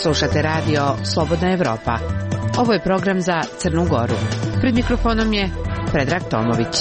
Slušate radio Slobodna Evropa. Ovo je program za Crnu Goru. Pred mikrofonom je Predrag Tomović.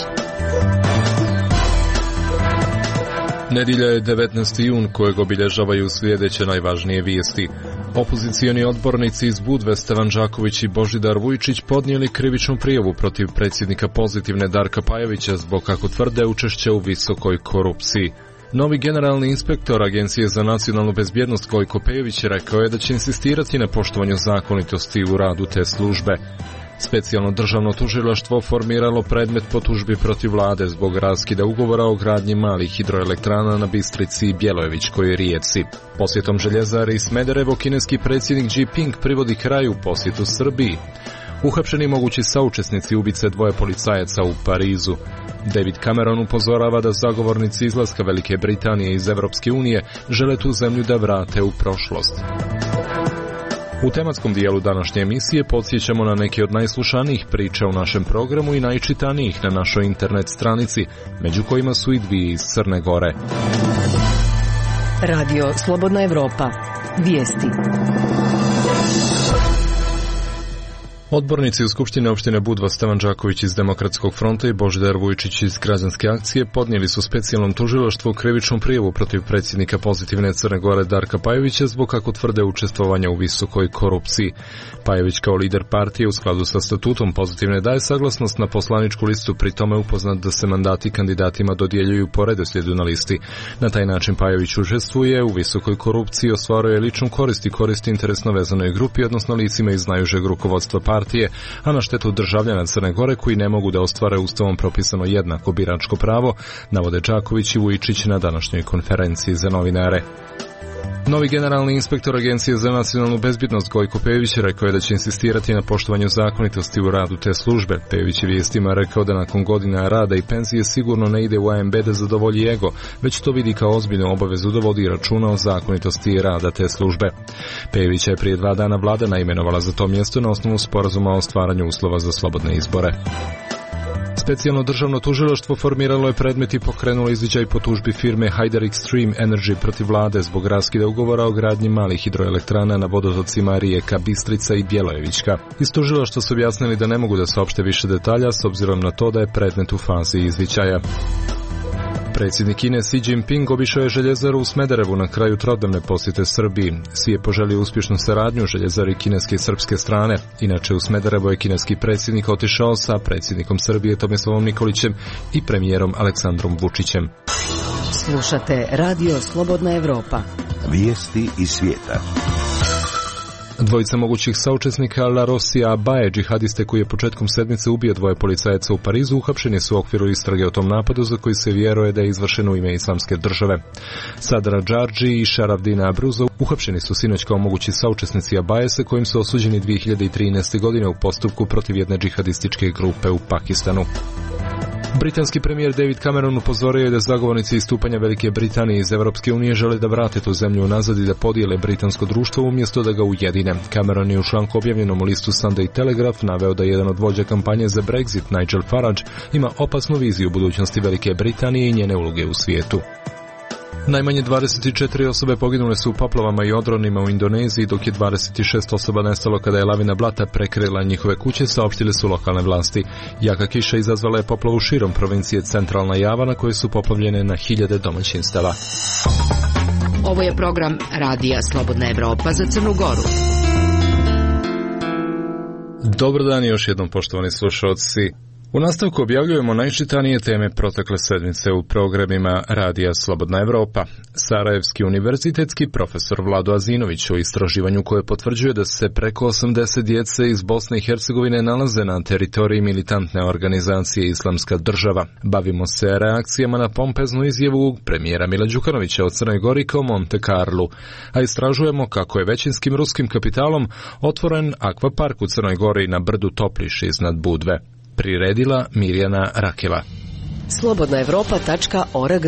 Nedjelja je 19. jun kojeg obilježavaju sljedeće najvažnije vijesti. Opozicioni odbornici iz Budve Stevan Đaković i Božidar Vujčić podnijeli krivičnu prijavu protiv predsjednika Pozitivne Darka Pajovića zbog, kako tvrde, učešća u visokoj korupciji. Novi generalni inspektor Agencije za nacionalnu bezbjednost Gojko Pejović rekao je da će insistirati na poštovanju zakonitosti u radu te službe. Specijalno državno tužilaštvo formiralo predmet po tužbi protiv vlade zbog raskida ugovora o gradnji malih hidroelektrana na Bistrici i Bjelojevićkoj rijeci. Posjetom Željezare i Smederevo kineski predsjednik Xi Jinping privodi kraju posjetu Srbiji. Uhapšeni mogući saučesnici ubice dvoje policajaca u Parizu. David Cameron upozorava da zagovornici izlaska Velike Britanije iz Evropske unije žele tu zemlju da vrate u prošlost. U tematskom dijelu današnje emisije podsjećamo na neke od najslušanijih priča u našem programu i najčitanijih na našoj internet stranici, među kojima su i dvije iz Crne Gore. Radio Slobodna Evropa. Vijesti. Odbornici u Skupštine opštine Budva Stevan Đaković iz Demokratskog fronta i Božidar Vujčić iz Građanske akcije podnijeli su specijalnom tužilaštvu krivičnu prijavu protiv predsjednika Pozitivne Crne Gore Darka Pajovića zbog, kako tvrde, učestvovanja u visokoj korupciji. Pajović kao lider partije u skladu sa statutom Pozitivne daje saglasnost na poslaničku listu, pri tome upoznat da se mandati kandidatima dodjeljuju po redoslijedu na listi. Na taj način Pajović učestvuje u visokoj korupciji, ostvaruje ličnu korist i koristi interesno vezanoj grupi, odnosno licima iz najužeg rukovodstva partije, a na štetu državljana Crne Gore koji ne mogu da ostvare ustavom propisano jednako biračko pravo, navode Đaković i Vujčić na današnjoj konferenciji za novinare. Novi generalni inspektor Agencije za nacionalnu bezbjednost Gojko Pejović rekao je da će insistirati na poštovanju zakonitosti u radu te službe. Pejović je vijestima rekao da nakon godina rada i penzije sigurno ne ide u AMB da zadovolji ego, već to vidi kao ozbiljnu obavezu da vodi računa o zakonitosti rada te službe. Pejovića je prije 2 dana vlada naimenovala za to mjesto na osnovu sporazuma o stvaranju uslova za slobodne izbore. Specijalno državno tužilaštvo formiralo je predmet i pokrenulo izviđaj po tužbi firme Haider Extreme Energy protiv vlade zbog raskida ugovora o gradnji malih hidroelektrana na vodotocima rijeka Bistrica i Bjelojevićka. Iz tužilaštva su objasnili da ne mogu da saopšte više detalja s obzirom na to da je predmet u fazi izviđaja. Predsjednik Kine Xi Jinping obišao je Željezaru u Smederevu na kraju trodnevne posjete Srbiji. Xi je poželio uspješnu saradnju Željezari kineske i srpske strane. Inače, u Smederevo je kineski predsjednik otišao sa predsjednikom Srbije Tomislavom Nikolićem i premijerom Aleksandrom Vučićem. Slušate Radio Slobodna Evropa. Vijesti iz svijeta. Dvojica mogućih saučesnika La Rosija Abaje, džihadiste koji je početkom sedmice ubio dvoje policajaca u Parizu, uhapšeni su u okviru istrage o tom napadu za koji se vjeruje da je izvršen u ime Islamske države. Sadra Džardži i Šaravdina Abruzov uhapšeni su sinoć kao mogući saučesnici Abaje, sa kojim su osuđeni 2013. godine u postupku protiv jedne džihadističke grupe u Pakistanu. Britanski premijer David Cameron upozorio je da zagovornici istupanja Velike Britanije iz Evropske unije žele da vrate tu zemlju unazad i da podijele britansko društvo umjesto da ga ujedine. Cameron je u članku objavljenom u listu Sunday Telegraph naveo da jedan od vođa kampanje za Brexit, Nigel Farage, ima opasnu viziju budućnosti Velike Britanije i njene uloge u svijetu. Najmanje 24 osobe poginule su u poplavama i odronima u Indoneziji, dok je 26 osoba nestalo kada je lavina blata prekrila njihove kuće, saopštile su lokalne vlasti. Jaka kiša izazvala je poplavu širom provincije Centralna Java, na koje su poplavljene na hiljade domaćinstava. Ovo je program Radija Slobodna Evropa za Crnu Goru. Dobar dan još jednom, poštovani slušalci. U nastavku objavljujemo najčitanije teme protekle sedmice u programima Radija Slobodna Evropa. Sarajevski univerzitetski profesor Vlado Azinović o istraživanju koje potvrđuje da se preko 80 djece iz Bosne i Hercegovine nalaze na teritoriji militantne organizacije Islamska država. Bavimo se reakcijama na pompeznu izjavu premijera Mila Đukanovića o Crnoj Gori kao Monte Carlu, a istražujemo kako je većinskim ruskim kapitalom otvoren akvapark u Crnoj Gori na brdu Topliš iznad Budve. Priredila Mirjana Rakela. slobodnaevropa.org.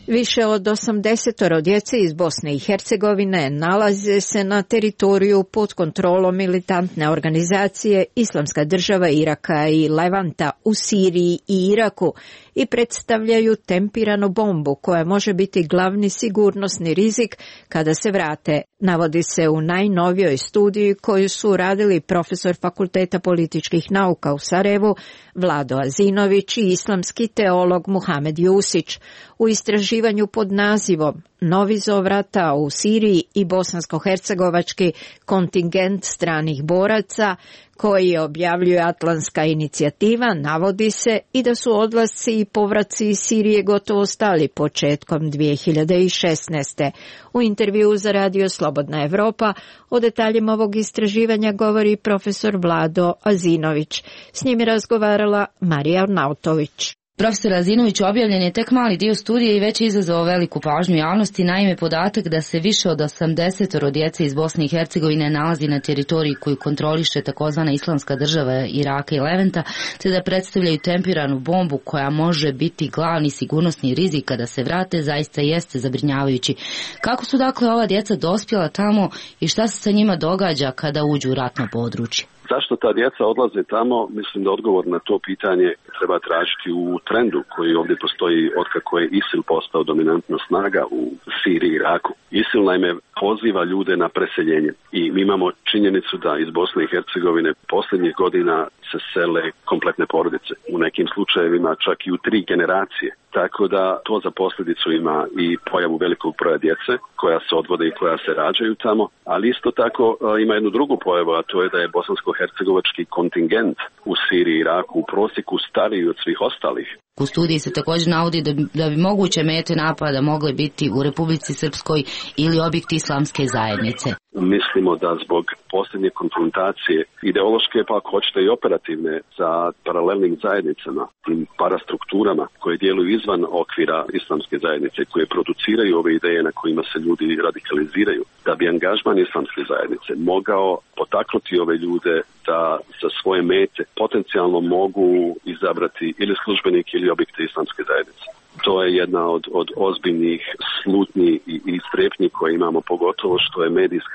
Više od 80 djece iz Bosne i Hercegovine nalaze se na teritoriju pod kontrolom militantne organizacije Islamska država Iraka i Levanta u Siriji i Iraku, i predstavljaju tempiranu bombu koja može biti glavni sigurnosni rizik kada se vrate, navodi se u najnovijoj studiji koju su radili profesor Fakulteta političkih nauka u Sarajevu Vlado Azinović i islamski teolog Muhamed Jusić u istraživanju pod nazivom Novi zovrata u Siriji i bosansko-hercegovački kontingent stranih boraca koji objavljuje Atlantska inicijativa, navodi se i da su odlasci i povraci iz Sirije gotovo stali početkom 2016. U intervjuu za Radio Slobodna Evropa o detaljima ovog istraživanja govori profesor Vlado Azinović. S njim je razgovarala Marija Arnautović. Profesor Azinović, objavljen je tek mali dio studije i već je izazvao veliku pažnju javnosti, naime podatak da se više od 80 djece iz Bosne i Hercegovine nalazi na teritoriji koju kontroliše takozvana Islamska država Iraka i Levanta, te da predstavljaju tempiranu bombu koja može biti glavni sigurnosni rizik kada se vrate, zaista jeste zabrinjavajući. Kako su dakle ova djeca dospjela tamo i šta se sa njima događa kada uđu u ratno područje? Zašto ta djeca odlaze tamo? Mislim da odgovor na to pitanje treba tražiti u trendu koji ovdje postoji otkako je ISIL postao dominantna snaga u Siriji i Iraku. ISIL naime poziva ljude na preseljenje i mi imamo činjenicu da iz Bosne i Hercegovine posljednjih godina se sele kompletne porodice. U nekim slučajevima čak i u 3 generacije. Tako da to za posljedicu ima i pojavu velikog broja djece koja se odvode i koja se rađaju tamo, ali isto tako ima jednu drugu pojavu, a to je da je bosansko-hercegovački kontingent u Siriji i Iraku u prosjeku stariji od svih ostalih. U studiji se također navodi da bi moguće mete napada mogle biti u Republici Srpskoj ili objekti islamske zajednice. Mislimo da zbog posljednje konfrontacije ideološke, pa ako hoćete i operativne, sa paralelnim zajednicama, tim parastrukturama koje djeluju izvan okvira islamske zajednice, koje produciraju ove ideje na kojima se ljudi radikaliziraju, da bi angažman islamske zajednice mogao potaknuti ove ljude da za svoje mete potencijalno mogu izabrati ili službenike ili objekte islamske zajednice. To je jedna od ozbiljnih slutnji i strepnji koje imamo, pogotovo što je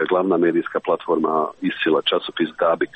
glavna medijska platforma ISIL-a, časopis Dabik,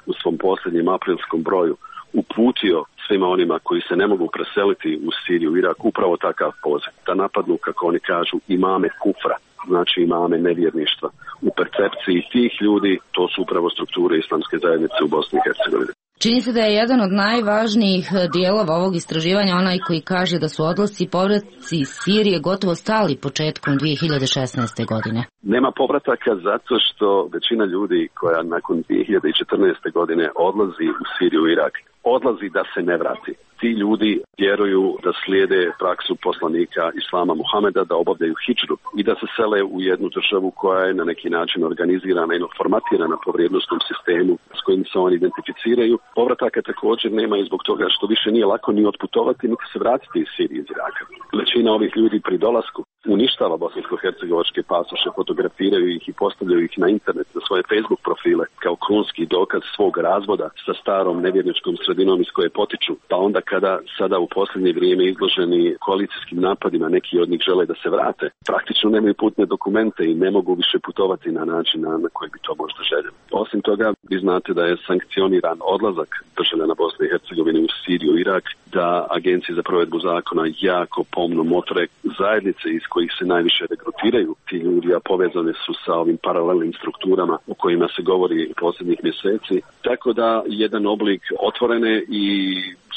u svom posljednjem aprilskom broju uputio svima onima koji se ne mogu preseliti u Siriju i Irak upravo takav poziv, da napadnu, kako oni kažu, imame kufra, znači imame nevjerništva. U percepciji tih ljudi to su upravo strukture islamske zajednice u Bosni i Hercegovini. Čini se da je jedan od najvažnijih dijelova ovog istraživanja onaj koji kaže da su odlasci i povratci iz Sirije gotovo stali početkom 2016. godine. Nema povrataka zato što većina ljudi koja nakon 2014. godine odlazi u Siriju i Irak, odlazi da se ne vrati. Ti ljudi vjeruju da slijede praksu poslanika Islama Muhameda, da obavljaju hidžru i da se sele u jednu državu koja je na neki način organizirana i formatirana po vrijednosnom sistemu s kojim se oni identificiraju. Povrataka također nema i zbog toga što više nije lako ni otputovati, niti se vratiti iz Sirije iz Iraka. Većina ovih ljudi pri dolasku uništava bosansko-hercegovačke pasoše, fotografiraju ih i postavljaju ih na internet, na svoje Facebook profile kao krunski dokaz svog razvoda sa starom nevjerničkom sredinom iz koje potiču. Pa onda kada sada u posljednje vrijeme izloženi koalicijskim napadima, neki od njih žele da se vrate, praktično nemaju putne dokumente i ne mogu više putovati na način na koji bi to možda željeli. Osim toga, vi znate da je sankcioniran odlazak državljana Bosne i Hercegovine u Siriju i Irak, da agencije za provedbu zakona jako pomno motre zajednice iz kojih se najviše regrutiraju ti ljudi, a povezane su sa ovim paralelnim strukturama o kojima se govori posljednjih mjeseci. Tako da jedan oblik otvorene i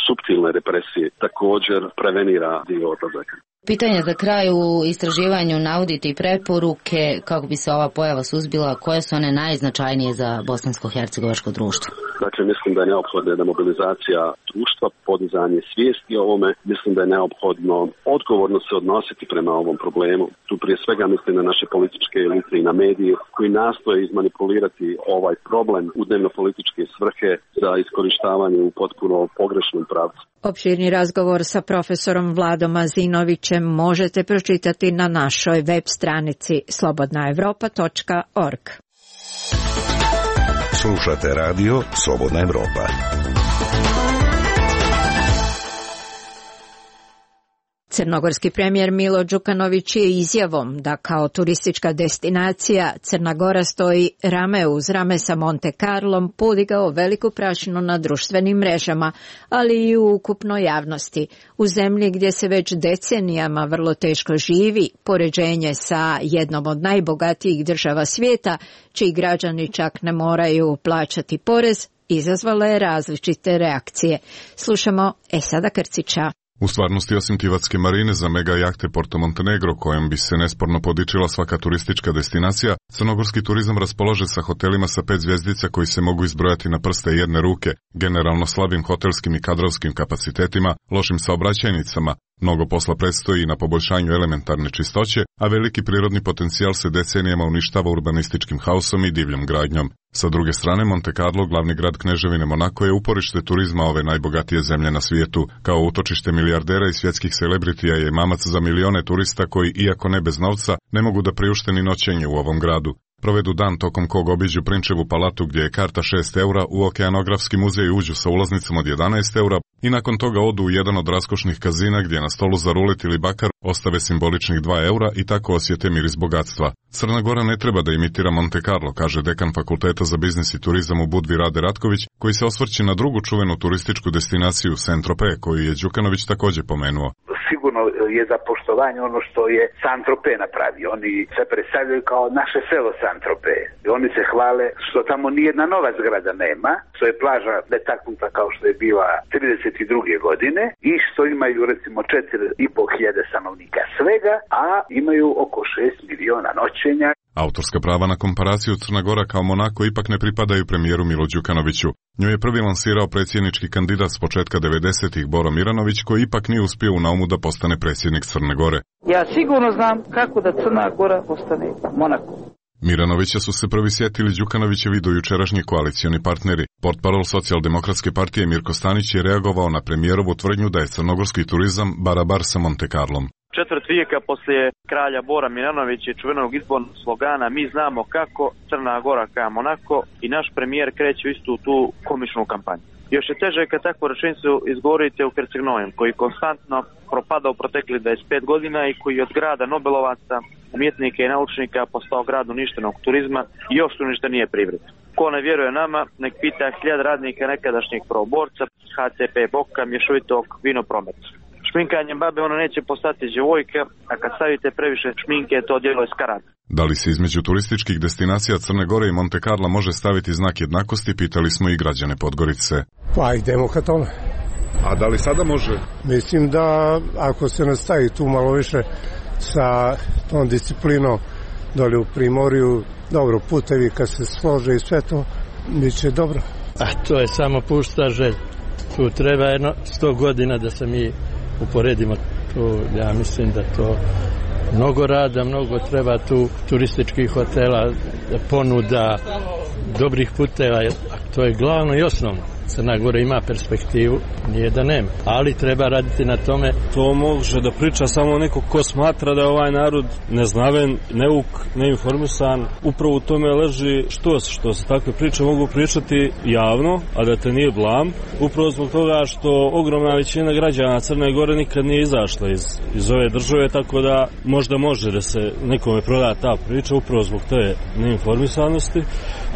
suptilne represije također prevenira dio odlazaka. Pitanje za kraj: u istraživanju navodite i preporuke kako bi se ova pojava suzbila, koje su one najznačajnije za bosansko-hercegovačko društvo? Dakle, mislim da je neophodna jedna mobilizacija društva, podizanje svijesti o ovome. Mislim da je neophodno odgovorno se odnositi prema ovom problemu. Tu prije svega mislim na naše političke elite i na medije koji nastoje izmanipulirati ovaj problem u dnevno-političke svrhe za iskorištavanje u potpuno pogrešnom pravcu. Opširni razgovor sa profesorom Vladom Azinovićem možete pročitati na našoj web stranici slobodnaevropa.org. Slušate radio Slobodna Evropa. Crnogorski premijer Milo Đukanović je izjavom da kao turistička destinacija Crna Gora stoji rame uz rame sa Monte Carlom podigao veliku prašinu na društvenim mrežama, ali i u ukupnoj javnosti. U zemlji gdje se već decenijama vrlo teško živi, poređenje sa jednom od najbogatijih država svijeta, čiji građani čak ne moraju plaćati porez, izazvala je različite reakcije. Slušamo Esada Krcića. U stvarnosti, osim Tivatske marine za mega jahte Porto Montenegro, kojom bi se nesporno podičila svaka turistička destinacija, crnogorski turizam raspolaže sa hotelima sa 5 zvjezdica koji se mogu izbrojati na prste jedne ruke, generalno slabim hotelskim i kadrovskim kapacitetima, lošim saobraćajnicama. Mnogo posla predstoji na poboljšanju elementarne čistoće, a veliki prirodni potencijal se decenijama uništava urbanističkim haosom i divljom gradnjom. Sa druge strane, Monte Carlo, glavni grad Kneževine Monako, je uporište turizma ove najbogatije zemlje na svijetu. Kao utočište milijardera i svjetskih celebritija je mamac za milione turista koji, iako ne bez novca, ne mogu da priušte ni noćenje u ovom gradu. Provedu dan tokom kog obiđu Prinčevu palatu gdje je karta 6 eura, u Okeanografski muzej uđu sa ulaznicom od 11 eura i nakon toga odu u jedan od raskošnih kazina gdje na stolu za rulet ili bakar ostave simboličnih 2 eura i tako osjete miris bogatstva. Crna Gora ne treba da imitira Monte Carlo, kaže dekan Fakulteta za biznis i turizam u Budvi Rade Ratković, koji se osvrće na drugu čuvenu turističku destinaciju Saint-Tropez, koju je Đukanović također pomenuo. Sigurno je za poštovanje ono što je Saint-Tropez napravio. Oni se predstavljaju kao naše selo Saint-Tropez. I oni se hvale što tamo nijedna nova zgrada nema, što je plaža netaknuta kao što je bila 32. godine i što imaju recimo 4.500 stanovnika svega, a imaju oko 6 miliona noćenja. Autorska prava na komparaciju Crna Gora kao Monako ipak ne pripadaju premijeru Milo Đukanoviću. Nju je prvi lansirao predsjednički kandidat s početka 90-ih Boro Miranović, koji ipak nije uspio u naumu da postane predsjednik Crne Gore. Ja sigurno znam kako da Crna Gora postane Monako. Miranovića su se prvi sjetili Đukanovićevi dojučerašnji koalicioni partneri. Portparol Socijaldemokratske partije Mirko Stanić je reagovao na premijerovu tvrdnju da je crnogorski turizam barabar sa Monte Carlom. Četvrt vijeka poslije kralja Bora Miranovića i čuvenog izbornog slogana "Mi znamo kako, Crna Gora ka Monako" i naš premijer kreće istu tu komičnu kampanju. Još je teže kad takvu rečenicu izgovorite u Herceg-Novom, koji konstantno propada u proteklih 25 godina i koji od grada Nobelovaca, umjetnika i naučnika postao grad uništenog turizma i još uništenije privrede. Ko ne vjeruje nama, nek pita 1000 radnika nekadašnjeg prvoborca, HCP Boka, mješovitog vinoprometa. Šminkanjem babe ona neće postati djevojka, a kad stavite previše šminke, to djelo je skarat. Da li se između turističkih destinacija Crne Gore i Monte Carla može staviti znak jednakosti, pitali smo i građane Podgorice. Pa idemo ka tome. A da li sada može? Mislim da ako se nastavi tu malo više sa tom disciplinom dole u Primorju, dobro, putevi kad se slože i sve to, bit će dobro. A to je samo pusta želj. Tu treba 100 godina da se mi uporedimo. Tu, ja mislim da to mnogo rada, mnogo treba tu turističkih hotela, ponuda, dobrih puteva, to je glavno i osnovno. Crna Gora ima perspektivu, nije da nema, ali treba raditi na tome. To može da priča samo neko ko smatra da je ovaj narod neznaven, neuk, neinformisan. Upravo u tome leži što se takve priče mogu pričati javno, a da te nije blam. Upravo zbog toga što ogromna većina građana Crne Gore nikad nije izašla iz ove države, tako da možda može da se nekome proda ta priča upravo zbog te neinformisanosti.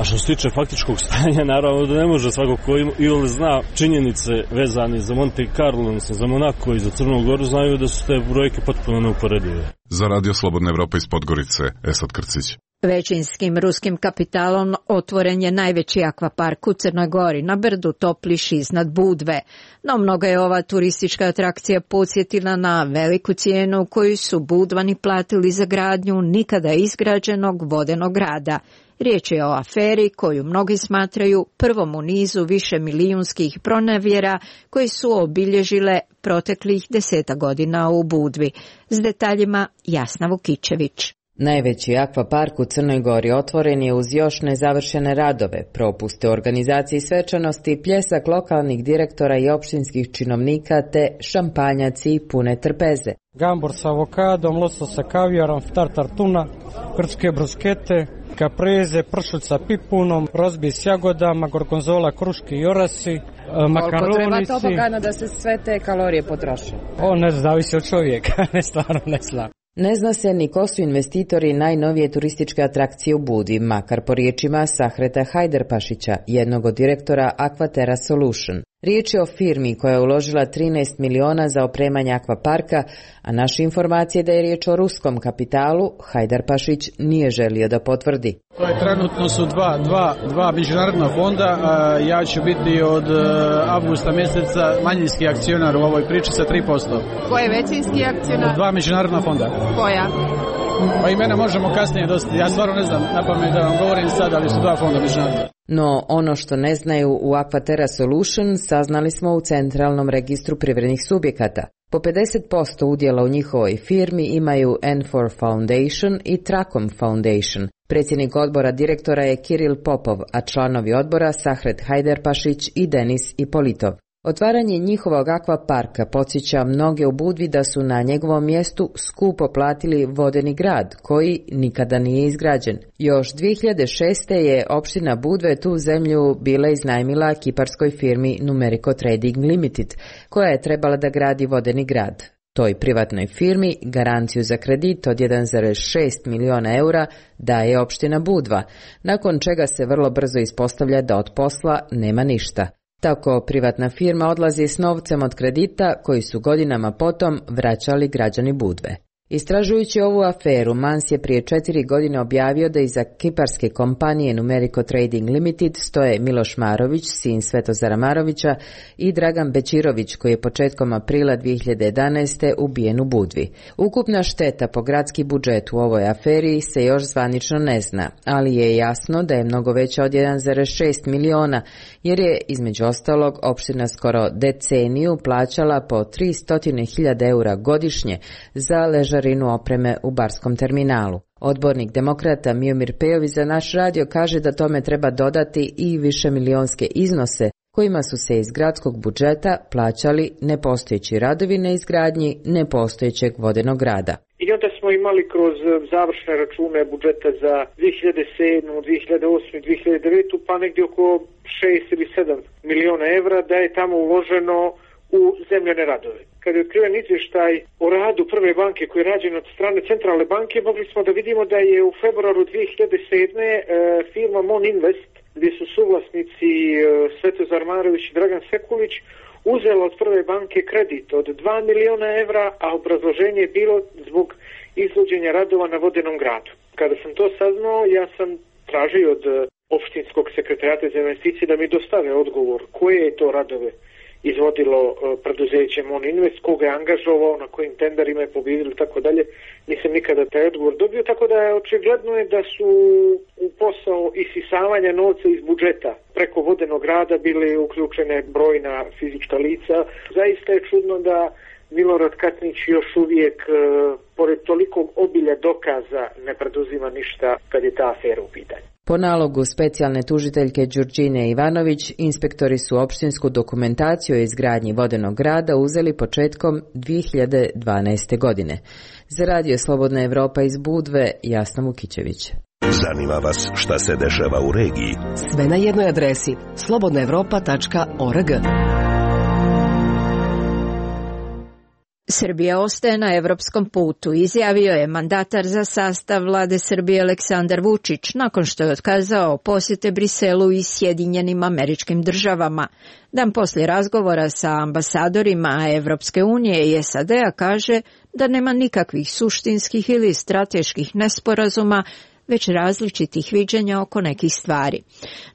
A što se tiče faktičkog stanja, naravno da ne može svako ko ili zna činjenice vezane za Monte Carlo, za Monako i za Crnu Goru, znaju da su te brojke potpuno neuporedive. Za Radio Slobodna Evropa iz Podgorice, Esad Krcić. Većinskim ruskim kapitalom otvoren je najveći akvapark u Crnoj Gori na brdu Topliš iznad Budve. No mnogo je ova turistička atrakcija podsjetila na veliku cijenu koju su Budvani platili za gradnju nikada izgrađenog vodenog grada. Riječ je o aferi koju mnogi smatraju prvom u nizu više milijunskih pronevjera koji su obilježile proteklih 10 godina u Budvi. S detaljima Jasna Vukičević. Najveći akvapark u Crnoj Gori otvoren je uz još nezavršene radove, propuste u organizaciji svečanosti, pljesak lokalnih direktora i općinskih činovnika te šampanjaci i pune trpeze. Gambur sa avokadom, losos sa kavijarom, tartar tuna, grčke bruskete, kapreze, pršut sa pipunom, rozbi s jagodama, gorgonzola, kruške i orasi, Makaroni. Koliko treba tobogana da se sve te kalorije potroše? Ne zavisi od čovjeka, stvarno ne znam. Ne zna se ni ko su investitori najnovije turističke atrakcije u Budvi, makar po riječima Sahreta Hajderpašića, jednog od direktora Aquaterra Solution. Riječ je o firmi koja je uložila 13 miliona za opremanje akvaparka, a naše informacije da je riječ o ruskom kapitalu, Hajdarpašić nije želio da potvrdi. Trenutno su dva međunarodna fonda, ja ću biti od avgusta mjeseca manjinski akcionar u ovoj priči sa 3%. Ko je većinski akcionar? Dva međunarodna fonda. Koja? Pa imena možemo kasnije dosta, ja stvarno ne znam napamet da vam govorim sad, ali su dva fonda međunarodna. No ono što ne znaju u Aquaterra Solution saznali smo u Centralnom registru privrednih subjekata. Po 50% udjela u njihovoj firmi imaju N4 Foundation i Tracom Foundation. Predsjednik odbora direktora je Kiril Popov, a članovi odbora Sahret Hajderpašić i Denis Ipolitov. Otvaranje njihovog akvaparka podsjeća mnoge u Budvi da su na njegovom mjestu skupo platili vodeni grad, koji nikada nije izgrađen. Još 2006. je opština Budve tu zemlju bila iznajmila kiparskoj firmi Numerico Trading Limited, koja je trebala da gradi vodeni grad. Toj privatnoj firmi garanciju za kredit od 1,6 miliona eura daje opština Budva, nakon čega se vrlo brzo ispostavlja da od posla nema ništa. Tako privatna firma odlazi s novcem od kredita koji su godinama potom vraćali građani Budve. Istražujući ovu aferu, Mans je prije 4 godine objavio da iza kiparske kompanije Numerico Trading Limited stoje Miloš Marović, sin Svetozara Marovića, i Dragan Bečirović, koji je početkom aprila 2011. ubijen u Budvi. Ukupna šteta po gradski budžet u ovoj aferi se još zvanično ne zna, ali je jasno da je mnogo veća od 1,6 miliona, jer je između ostalog opština skoro deceniju plaćala po 300.000 eura godišnje za ležarinu opreme u barskom terminalu. Odbornik demokrata Miomir Pejović za naš radio kaže da tome treba dodati i višemilionske iznose kojima su se iz gradskog budžeta plaćali nepostojeći radovi na izgradnji nepostojećeg vodenog grada. I onda smo imali kroz završne račune budžeta za 2007, 2008 i 2009 pa negdje oko 6 ili 7 miliona evra da je tamo uloženo u zemljane radove. Kada je otkriven izvještaj o radu prve banke koji je rađen od strane centralne banke, mogli smo da vidimo da je u februaru 2007. firma Mon Invest, gdje su suvlasnici Svetozar Marović i Dragan Sekulić, uzela od prve banke kredit od 2 miliona evra, a obrazloženje je bilo zbog izvođenja radova na vodenom gradu. Kada sam to saznao, ja sam tražio od opštinskog sekretariata za investicije da mi dostave odgovor koje je to radove izvodilo preduzeće Mon Invest, koga je angažovao, na kojim tenderima je pobjedili, tako dalje. Nisam nikada taj odgovor dobio, tako da je očigledno je da su u posao isisavanja novca iz budžeta preko vodenog grada bili uključene brojna fizička lica. Zaista je čudno da Milorad Katnić još uvijek, pored tolikog obilja dokaza, ne preduzima ništa kad je ta afera u pitanju. Po nalogu specijalne tužiteljke Đurđine Ivanović, inspektori su opštinsku dokumentaciju o izgradnji vodenog grada uzeli početkom 2012. godine. Za radio Slobodna Evropa iz Budve, Jasna Vukićević. Zanima vas šta se dešava u regiji? Sve na jednoj adresi slobodnaevropa.org. Srbija ostaje na evropskom putu, izjavio je mandatar za sastav vlade Srbije Aleksandar Vučić nakon što je otkazao posjete Briselu i Sjedinjenim Američkim Državama. Dan poslije razgovora sa ambasadorima Evropske unije i SAD-a kaže da nema nikakvih suštinskih ili strateških nesporazuma, već različitih viđenja oko nekih stvari.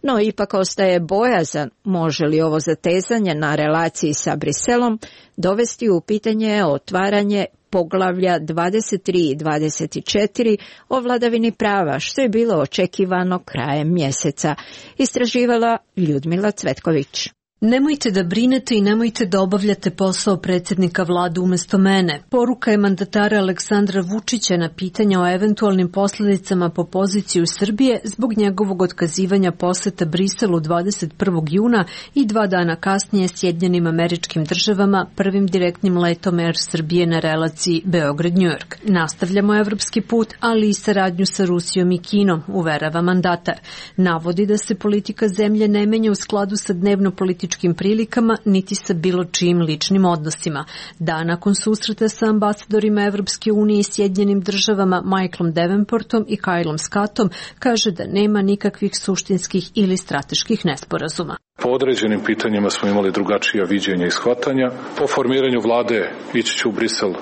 No, ipak ostaje bojazan može li ovo zatezanje na relaciji sa Briselom dovesti u pitanje otvaranje poglavlja 23 i 24 o vladavini prava, što je bilo očekivano krajem mjeseca, istraživala Ljudmila Cvetković. Nemojte da brinete i nemojte da obavljate posao predsjednika vlade umjesto mene. Poruka je mandatara Aleksandra Vučića na pitanja o eventualnim posljedicama po poziciju Srbije zbog njegovog otkazivanja posjeta Briselu 21. juna i 2 dana kasnije Sjedinjenim Američkim Državama prvim direktnim letom Air Srbije na relaciji Beograd-New York. Nastavljamo evropski put, ali i saradnju sa Rusijom i Kinom, uverava mandatar. Navodi da se politika zemlje ne menja u skladu sa dnevno-političkim političkim prilikama, niti sa bilo čijim ličnim odnosima. Dan nakon susreta sa ambasadorima Evropske unije i Sjedinjenim državama Michaelom Davenportom i Kylom Scottom kaže da nema nikakvih suštinskih ili strateških nesporazuma. Po određenim pitanjima smo imali drugačija viđenja i shvatanja. Po formiranju vlade ići ću u Brisel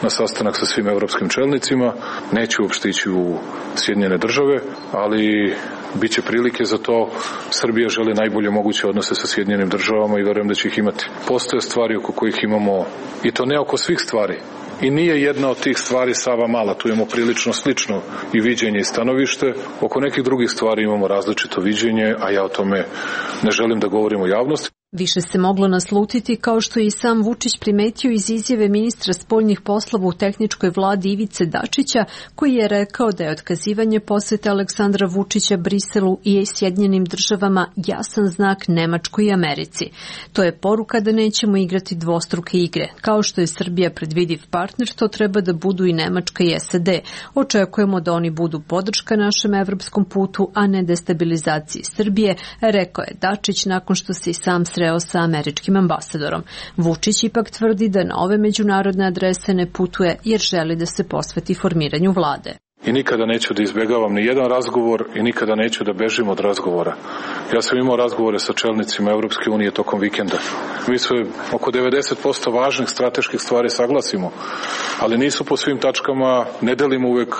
na sastanak sa svim evropskim čelnicima. Neću uopšte ići u Sjedinjene države, ali bit će prilike za to. Srbija želi najbolje moguće odnose sa Sjedinjenim državama i verujem da će ih imati. Postoje stvari oko kojih imamo, i to ne oko svih stvari, i nije jedna od tih stvari Sava mala, tu imamo prilično slično i viđenje i stanovište. Oko nekih drugih stvari imamo različito viđenje, a ja o tome ne želim da govorim u javnosti. Više se moglo naslutiti, kao što je i sam Vučić primetio iz izjave ministra spoljnih poslova u tehničkoj vladi Ivice Dačića, koji je rekao da je otkazivanje posete Aleksandra Vučića Briselu i Sjedinjenim državama jasan znak Nemačkoj i Americi. To je poruka da nećemo igrati dvostruke igre. Kao što je Srbija predvidiv partner, to treba da budu i Nemačka i SAD. Očekujemo da oni budu podrška našem evropskom putu, a ne destabilizaciji Srbije, rekao je Dačić nakon što se i sam sreo sa američkim ambasadorom. Vučić ipak tvrdi da na ove međunarodne adrese ne putuje jer želi da se posveti formiranju vlade. I nikada neću da izbegavam ni jedan razgovor i nikada neću da bežim od razgovora. Ja sam imao razgovore sa čelnicima Evropske unije tokom vikenda. Mi sve oko 90% važnih strateških stvari saglasimo, ali nisu po svim tačkama, ne delimo uvek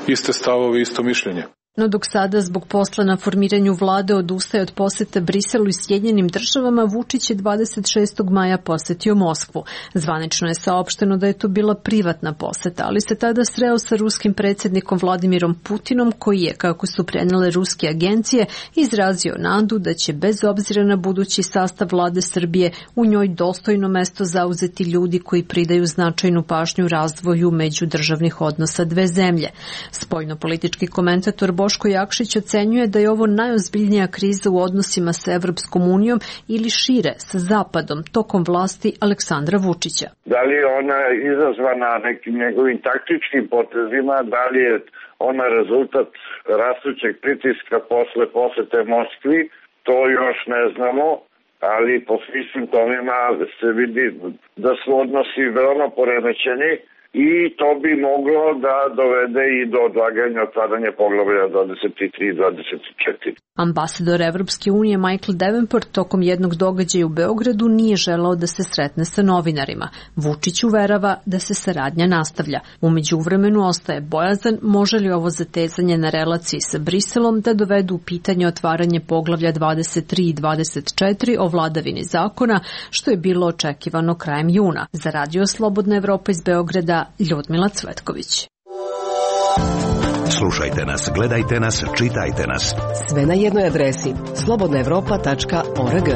iste stavove i isto mišljenje. No dok sada zbog posla na formiranju vlade odustaje od poseta Briselu i Sjedinjenim državama, Vučić je 26. maja posetio Moskvu. Zvanično je saopšteno da je to bila privatna poseta, ali se tada sreo sa ruskim predsjednikom Vladimirom Putinom, koji je, kako su prenele ruske agencije, izrazio nadu da će bez obzira na budući sastav vlade Srbije u njoj dostojno mesto zauzeti ljudi koji pridaju značajnu pažnju razvoju međudržavnih odnosa dve zemlje. Spoljnopolitički komentator Boško Jakšić ocenjuje da je ovo najozbiljnija kriza u odnosima sa Evropskom unijom ili šire sa Zapadom tokom vlasti Aleksandra Vučića. Da li je ona izazvana nekim njegovim taktičkim potezima, da li je ona rezultat rastućeg pritiska posle posete Moskvi, to još ne znamo, ali po svim simptomima se vidi da su odnosi veoma poremećeni. I to bi moglo da dovede i do odlaganja otvaranja poglavlja 23 i 24. Ambasador Evropske unije Michael Davenport tokom jednog događaja u Beogradu nije želeo da se sretne sa novinarima. Vučić uverava da se saradnja nastavlja. U međuvremenu ostaje bojazan može li ovo zatezanje na relaciji sa Briselom da dovedu u pitanje otvaranje poglavlja 23 i 24 o vladavini zakona, što je bilo očekivano krajem juna. Za Radio Slobodna Evropa iz Beograda, Ljudmila Cvetković. Slušajte nas, gledajte nas, čitajte nas. Sve na jednoj adresi slobodnaevropa.org.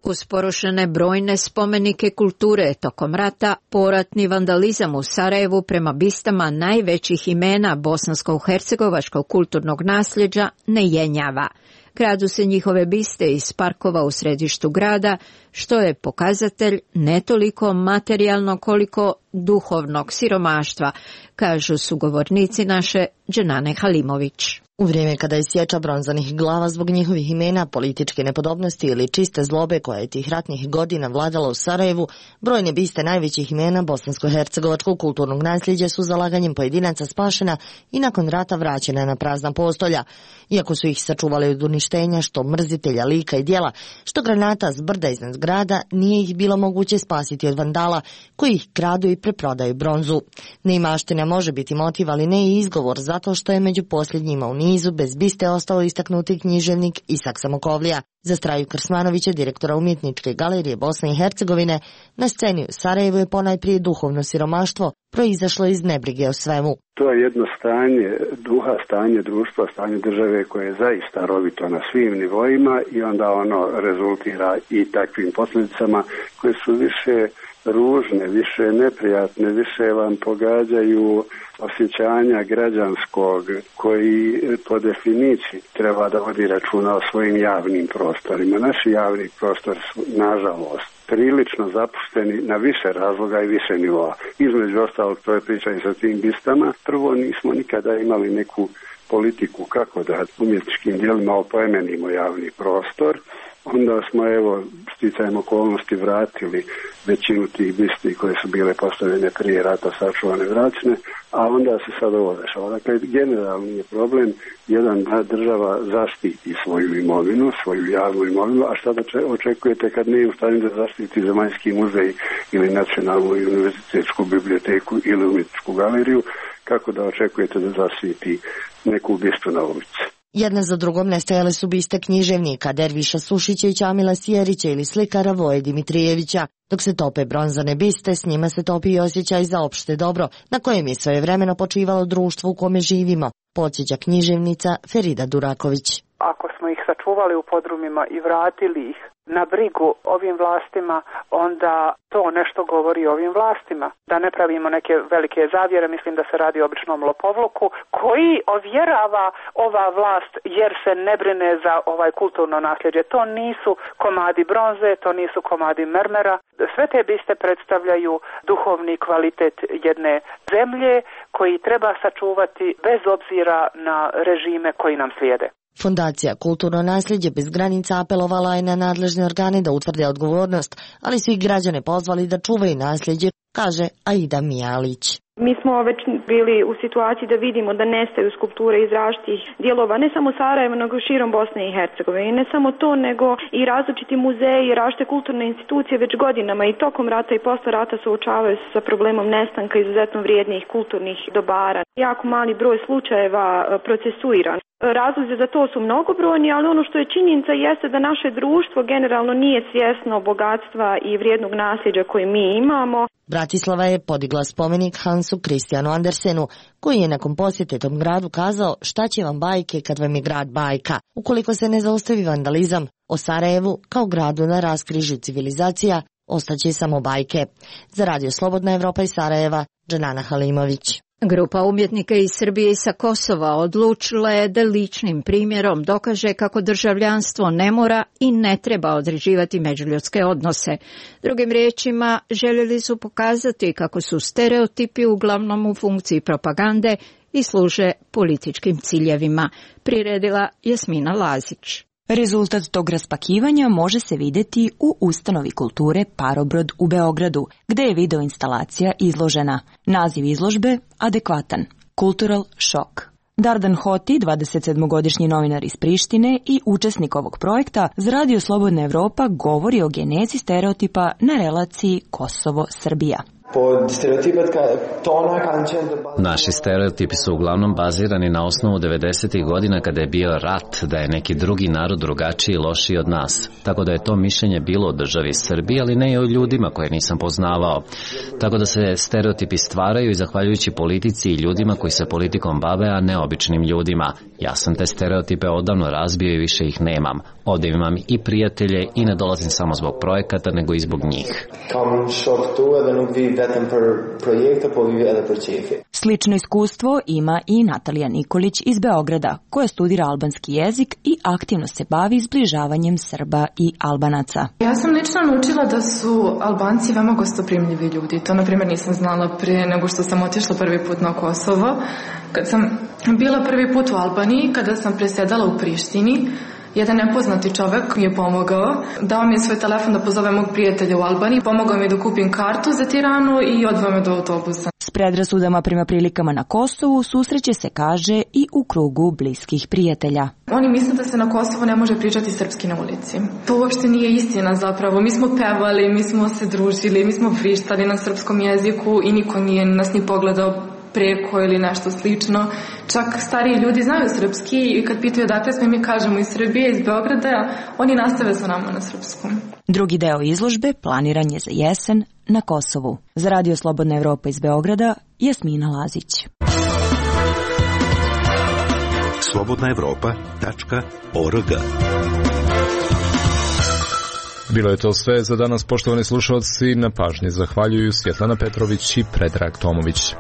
Uz porušene brojne spomenike kulture tokom rata, poratni vandalizam u Sarajevu prema bistama najvećih imena bosansko-hercegovačkog kulturnog nasljeđa ne jenjava. Kradu se njihove biste iz parkova u središtu grada, što je pokazatelj ne toliko materijalno koliko duhovnog siromaštva, kažu sugovornici naše Dženane Halimović. U vrijeme kada je sječa bronzanih glava zbog njihovih imena, političke nepodobnosti ili čiste zlobe koja je tih ratnih godina vladala u Sarajevu, brojne biste najvećih imena bosansko-hercegovačkog kulturnog nasljeđa su zalaganjem pojedinaca spašena i nakon rata vraćena na prazna postolja. Iako su ih sačuvali od uništenja, što mrzitelja lika i djela, što granata s brda iznad grada, nije ih bilo moguće spasiti od vandala koji ih kradu i preprodaju bronzu. Neimaština može biti motiv, ali ne i izgovor, zato što je među posljednjima u nizu bez biste ostao istaknuti književnik Isak Samokovlija. Za Straju Krsmanovića, direktora Umjetničke galerije Bosne i Hercegovine, na sceni u Sarajevu je ponajprije duhovno siromaštvo proizašlo iz nebrige o svemu. To je jedno stanje duha, stanje društva, stanje države koje je zaista rovito na svim nivoima i onda ono rezultira i takvim posljedicama koje su više ružne, više neprijatne, više vam pogađaju osjećanja građanskog koji po definiciji treba da vodi računa o svojim javnim prostorima. Naši javni prostori su, nažalost, prilično zapušteni na više razloga i više nivoa. Između ostalog, to je priča i sa tim bistama. Prvo, nismo nikada imali neku politiku kako da umjetničkim dijelima oplemenimo javni prostor, onda smo sticajem okolnosti vratili većinu tih bisti koje su bile postavljene prije rata, sačuvane vraćene, a onda se sad ovo dešava. Dakle, generalni je problem da država zaštiti svoju imovinu, svoju javnu imovinu, a šta da očekujete kad nije u stanju da zaštiti Zemaljski muzej ili Nacionalnu univerzitetsku biblioteku ili umjetničku galeriju, kako da očekujete da zaštiti neku bistu na ulici? Jedna za drugom nestajale su biste književnika Derviša Sušića i Ćamila Sjerića ili slikara Voje Dimitrijevića. Dok se tope bronzane biste, s njima se topi i osjećaj za opšte dobro, na kojem je svojevremeno počivalo društvo u kome živimo, podsjeća književnica Ferida Duraković. Ako smo ih sačuvali u podrumima i vratili ih na brigu ovim vlastima, onda to nešto govori o ovim vlastima. Da ne pravimo neke velike zavjere, mislim da se radi o običnom lopovluku koji ovjerava ova vlast jer se ne brine za ovaj kulturno nasljeđe. To nisu komadi bronze, to nisu komadi mermera. Sve te biste predstavljaju duhovni kvalitet jedne zemlje koji treba sačuvati bez obzira na režime koji nam slijede. Fondacija Kulturno nasljeđe bez granica apelovala je na nadležne organe da utvrde odgovornost, ali su i građane pozvali da čuvaju nasljeđe, kaže Aida Mijalić. Mi smo već bili u situaciji da vidimo da nestaju skulpture iz različitih dijelova, ne samo Sarajeva, nego širom Bosne i Hercegovine. I ne samo to, nego i različiti muzeji i različite kulturne institucije već godinama i tokom rata i posle rata suočavaju se sa problemom nestanka izuzetno vrijednih kulturnih dobara. Jako mali broj slučajeva procesuiran. Razlozi za to su mnogobrojni, ali ono što je činjenica jeste da naše društvo generalno nije svjesno bogatstva i vrijednog nasljeđa koje mi imamo. Bratislava je podigla spomenik Hansu Kristijanu Andersenu, koji je nakon posjete tom gradu kazao šta će vam bajke kad vam je grad bajka, ukoliko se ne zaustavi vandalizam. O Sarajevu, kao gradu na raskrižju civilizacija, ostaće samo bajke. Za Radio Slobodna Evropa iz Sarajeva, Dženana Halimović. Grupa umjetnika iz Srbije i sa Kosova odlučila je da ličnim primjerom dokaže kako državljanstvo ne mora i ne treba određivati međuljudske odnose. Drugim riječima, željeli su pokazati kako su stereotipi uglavnom u funkciji propagande i služe političkim ciljevima, priredila Jasmina Lazić. Rezultat tog raspakivanja može se vidjeti u ustanovi kulture Parobrod u Beogradu, gde je videoinstalacija izložena. Naziv izložbe adekvatan – Cultural Shock. Dardan Hoti, 27-godišnji novinar iz Prištine i učesnik ovog projekta, za Radio Slobodna Evropa govori o genezi stereotipa na relaciji Kosovo-Srbija. Naši stereotipi su uglavnom bazirani na osnovu 90. godina kada je bio rat, da je neki drugi narod drugačiji i lošiji od nas. Tako da je to mišljenje bilo o državi Srbiji, ali ne i o ljudima koje nisam poznavao. Tako da se stereotipi stvaraju i zahvaljujući politici i ljudima koji se politikom bave, a ne običnim ljudima. Ja sam te stereotipe odavno razbio i više ih nemam. Ovdje imam i prijatelje i ne dolazim samo zbog projekata, nego i zbog njih. Slično iskustvo ima i Natalija Nikolić iz Beograda, koja studira albanski jezik i aktivno se bavi zbližavanjem Srba i Albanaca. Ja sam lično naučila da su Albanci veoma gostoprimljivi ljudi. To, na primjer, nisam znala prije nego što sam otišla prvi put na Kosovo. Kad sam bila prvi put u Albaniji, kada sam presjedala u Prištini, jedan nepoznati čovjek mi je pomogao, dao mi je svoj telefon da pozove mog prijatelja u Albaniji, pomogao mi da kupim kartu za Tiranu i odveo me do autobusa. S predrasudama prema prilikama na Kosovu susreće se, kaže, i u krugu bliskih prijatelja. Oni misle da se na Kosovu ne može pričati srpski na ulici. To uopšte nije istina zapravo. Mi smo pevali, mi smo se družili, mi smo vrištali na srpskom jeziku i niko nije nas ni pogledao preko ili nešto slično. Čak stariji ljudi znaju srpski i kad pitaju odakle smo, mi kažemo iz Srbije, iz Beograda, oni nastave sa nama na srpskom. Drugi deo izložbe planiran je za jesen na Kosovu. Za Radio Slobodna Evropa iz Beograda, Jasmina Lazić. slobodnaevropa.org. Bilo je to sve za danas, poštovani slušalci. Na pažnji zahvaljuju Svjetlana Petrović i Predrag Tomović.